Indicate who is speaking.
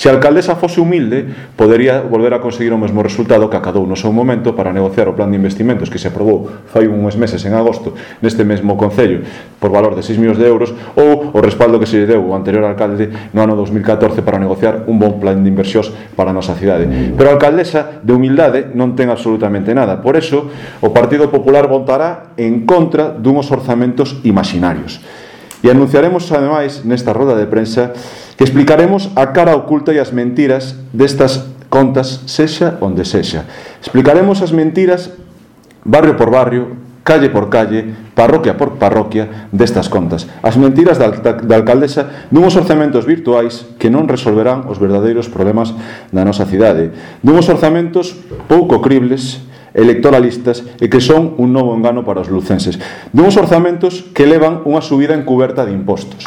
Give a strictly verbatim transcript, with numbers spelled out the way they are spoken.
Speaker 1: Se a alcaldesa fose humilde, podería volver a conseguir o mesmo resultado que acadou no seu momento para negociar o plan de investimentos que se aprobou fai uns meses en agosto neste mesmo concello por valor de seis millóns de euros, ou o respaldo que se lle deu o anterior alcalde no ano dos mil catorce para negociar un bon plan de inversións para a nosa cidade. Pero a alcaldesa de humildade non ten absolutamente nada. Por eso, o Partido Popular votará en contra dunhos orzamentos imaginarios. E anunciaremos, ademais, nesta roda de prensa, que explicaremos a cara oculta e as mentiras destas contas, sexa onde sexa. Explicaremos as mentiras barrio por barrio, calle por calle, parroquia por parroquia destas contas. As mentiras da, da, da alcaldesa dunhos orzamentos virtuais que non resolverán os verdadeiros problemas da nosa cidade. Dunhos orzamentos pouco cribles, electoralistas e que son un novo engano para os lucenses. Dunhos orzamentos que levan unha subida encuberta de impostos.